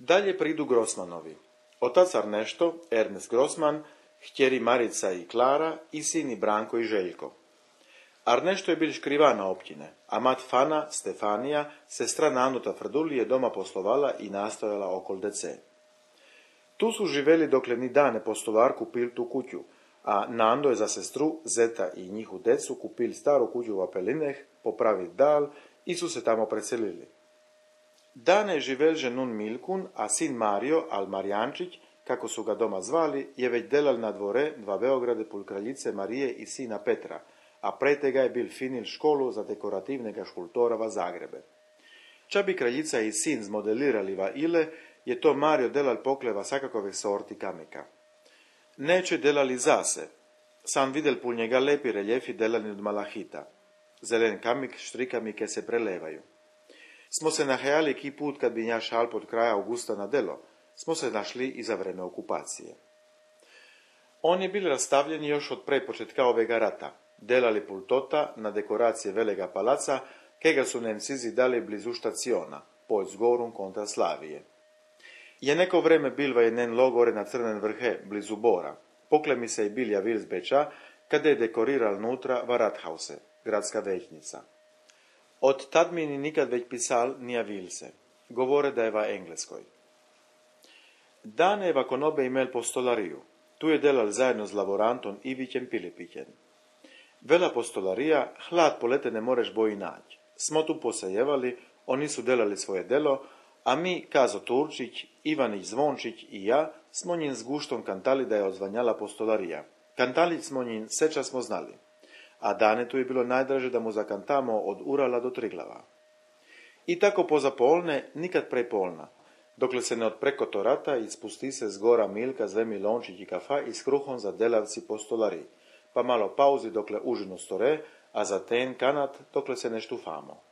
Dalje pridu Grossmanovi. Otac Arnešto, Ernest Grossman, htjeri Marica i Klara i sini Branko i Željko. Arnešto je bil škrivana općine, a mat Fana, Stefanija, sestra Nanuta Frduli je doma poslovala i nastojala okol dece. Tu su živeli dokle ni dane postolar kupil tu kuću, a Nando je za sestru, Zeta i njihu decu kupil staru kuću u Apelineh, popravit dal i su se tamo preselili. Dane je živelže nun Milkun, a sin Mario, al Marjančić, kako su ga doma zvali, je već delal na dvore dva Beograde pul kraljice Marije i sina Petra, a pre tega je bil finil školu za dekorativnega škultora v Zagrebe. Ča bi kraljica i sin zmodelirali va ile, je to Mario delal pokleva svakakove sorti kamika. Neće delali zase, sam videl pul njega lepi reljefi delani od malahita. Zelen kamik, štrikami ke se prelevaju. Smo se nahajali ki put kad bi nja šal pod kraja augusta na delo, smo se našli i za vreme okupacije. On je bil rastavljen još od pre početka ovega rata, delali pultota na dekoracije velega palaca, kega su Nemcizi dali blizu štaciona, pod zgorum kontra Slavije. Je neko vreme bil vajenen logore na Crnen vrhe, blizu Bora. Pokle mi se i bil javil z Beča, kada je dekoriral nutra va Rathause, gradska većnica. Od tad mi ni nikad već pisal ni javil se. Govore da je va Engleskoj. Dane je va konobe imel postolariju. Tu je delal zajedno s laborantom Ivićem Pilipićem. Vela postolarija, hlad polete ne moreš boji nać. Smo tu posejevali, oni su delali svoje delo, a mi, Kazo Turčić, Ivanić Zvončić i ja, smo njim s guštom kantali da je odzvanjala postolarija. Kantali smo njim seča smo znali. A Dane tu je bilo najdraže da mu zakantamo od Urala do Triglava. I tako poza polne, nikad prej polna. Dokle se ne odpreko to rata i spusti se z gora Milka, Zvemi Lončić i kafa i s kruhom za delavci postolari. Pa malo pauzi dokle užinu store, a za ten kanat dokle se ne štufamo.